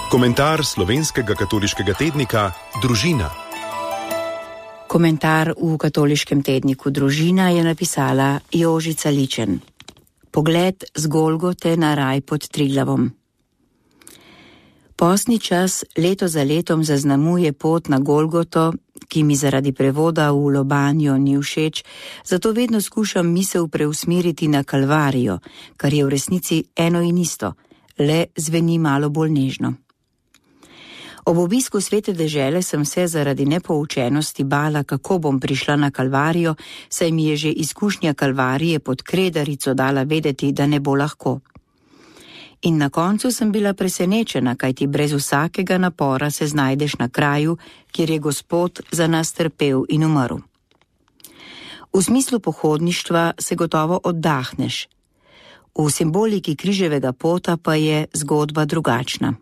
Komentar slovenskega katoliškega tednika Družina. Komentar v katoliškem tedniku Družina je napisala Jožica Ličen. Pogled z Golgote na raj pod Triglavom. Postni čas leto za letom zaznamuje pot na Golgoto, ki mi zaradi prevoda v Lobanjo ni všeč, zato vedno skušam misel preusmeriti na Kalvarijo, kar je v resnici eno in isto, le zveni malo bolj nežno. Ob obisku svete dežele sem se zaradi nepoučenosti bala, kako bom prišla na Kalvarijo, saj mi je že izkušnja Kalvarije pod Kredarico dala vedeti, da ne bo lahko. In na koncu sem bila presenečena, kajti brez vsakega napora se znajdeš na kraju, kjer je Gospod za nas trpel in umrl. V smislu pohodništva se gotovo oddahneš. V simboliki križevega pota pa je zgodba drugačna.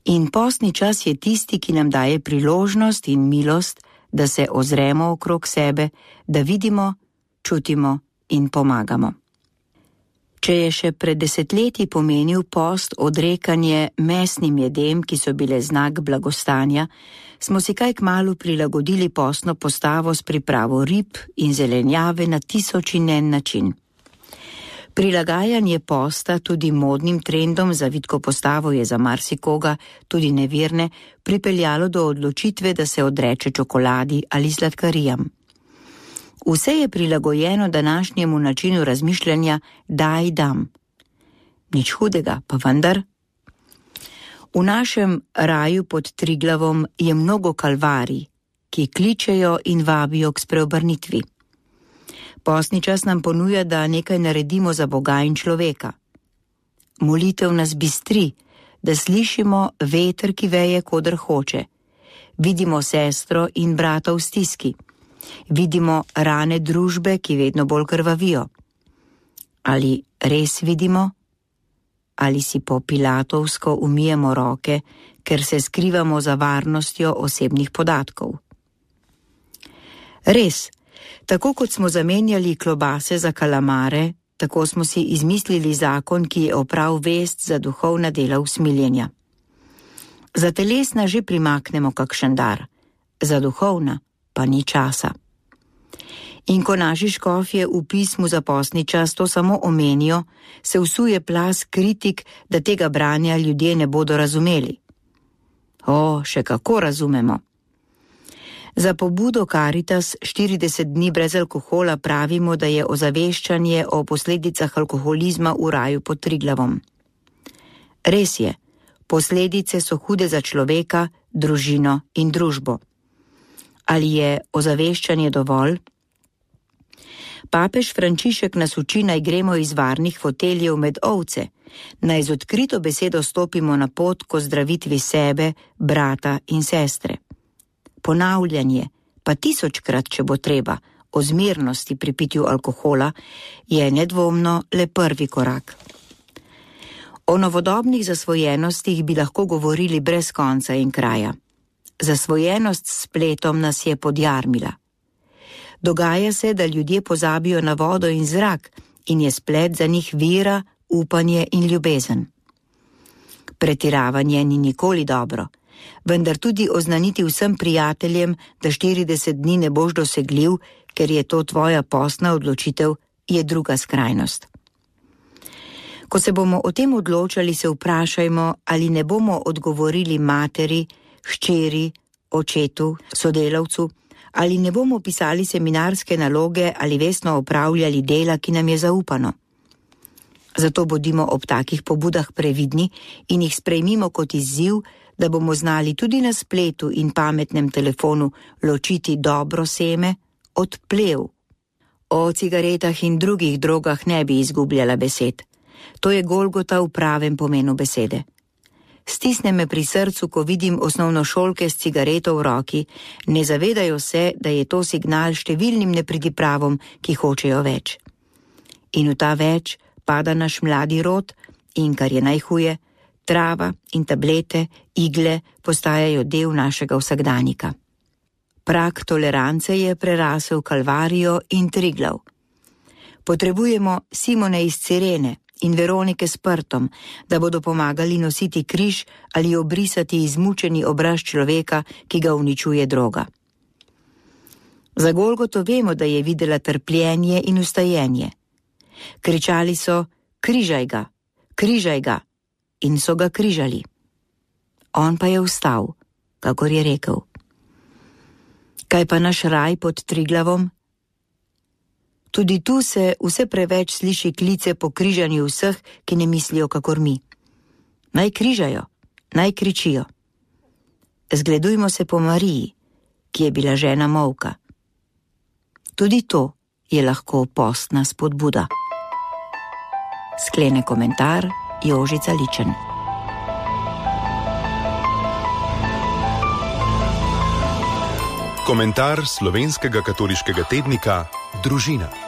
In postni čas je tisti, ki nam daje priložnost in milost, da se ozremo okrog sebe, da vidimo, čutimo in pomagamo. Če je še pred desetletji pomenil post odrekanje mesnim jedem, ki so bile znak blagostanja, smo si kaj kmalu prilagodili postno postavo s pripravo rib in zelenjave na tisoč in en način. Prilagajanje posta tudi modnim trendom za vitko postavo je za marsikoga, tudi neverne, pripeljalo do odločitve, da se odreče čokoladi ali sladkarijam. Vse je prilagojeno današnjemu načinu razmišljanja daj dam. Nič hudega, pa vendar. V našem raju pod Triglavom je mnogo kalvarij, ki kličejo in vabijo k spreobrnitvi. Postni čas nam ponuja, da nekaj naredimo za Boga in človeka. Molitev nas bistri, da slišimo veter, ki veje, koder hoče. Vidimo sestro in brata v stiski. Vidimo rane družbe, ki vedno bolj krvavijo. Ali res vidimo? Ali si po pilatovsko umijemo roke, ker se skrivamo za varnostjo osebnih podatkov? Res, tako kot smo zamenjali klobase za kalamare, tako smo si izmislili zakon, ki je oprav vest za duhovna dela usmiljenja. Za telesna že primaknemo kakšen dar, za duhovna pa ni časa. In ko naši škofje v pismu za postni čas to samo omenijo, se vsuje plaz kritik, da tega branja ljudje ne bodo razumeli. Še kako razumemo. Za pobudo Caritas 40 dni brez alkohola pravimo, da je ozaveščanje o posledicah alkoholizma v raju pod Triglavom. Res je, posledice so hude za človeka, družino in družbo. Ali je ozaveščanje dovolj? Papež Frančišek nas uči, naj gremo iz varnih foteljev med ovce, naj z odkrito besedo stopimo na pot k ozdravitvi sebe, brata in sestre. Ponavljanje, pa 1000-krat, če bo treba, o zmernosti pri pitju alkohola, je nedvomno le prvi korak. O novodobnih zasvojenostih bi lahko govorili brez konca in kraja. Zasvojenost s spletom nas je podjarmila. Dogaja se, da ljudje pozabijo na vodo in zrak in je splet za njih vera, upanje in ljubezen. Pretiravanje ni nikoli dobro, vendar tudi oznaniti vsem prijateljem, da 40 dni ne boš dosegljiv, ker je to tvoja postna odločitev, je druga skrajnost. Ko se bomo o tem odločali, se vprašajmo, ali ne bomo odgovorili materi, hčeri, očetu, sodelavcu, ali ne bomo pisali seminarske naloge ali vestno opravljali dela, ki nam je zaupano. Zato bodimo ob takih pobudah previdni in jih sprejmimo kot izziv, da bomo znali tudi na spletu in pametnem telefonu ločiti dobro seme od plev. O cigaretah in drugih drogah ne bi izgubljala besed. To je Golgota v pravem pomenu besede. Stisne me pri srcu, ko vidim osnovnošolke s cigareto v roki, ne zavedajo se, da je to signal številnim nepridipravom, ki hočejo več. In v ta več pada naš mladi rod in, kar je najhuje, trava in tablete, igle postajajo del našega vsakdanika. Prag tolerance je prerasel Kalvarijo in Triglav. Potrebujemo Simone iz Cirene in Veronike s prtom, da bodo pomagali nositi križ ali obrisati izmučeni obraz človeka, ki ga uničuje droga. Za Golgoto vemo, da je videla trpljenje in ustajenje. Kričali so: križaj ga, križaj ga, in so ga križali. On pa je vstal, kakor je rekel. Kaj pa naš raj pod Triglavom? Tudi tu se vse preveč sliši klice po križanju vseh, ki ne mislijo kakor mi. Naj križajo, naj kričijo. Zgledujmo se po Mariji, ki je bila žena molka. Tudi to je lahko postna spodbuda. Sklene komentar Jožica Ličen. Komentar slovenskega katoliškega tednika Družina.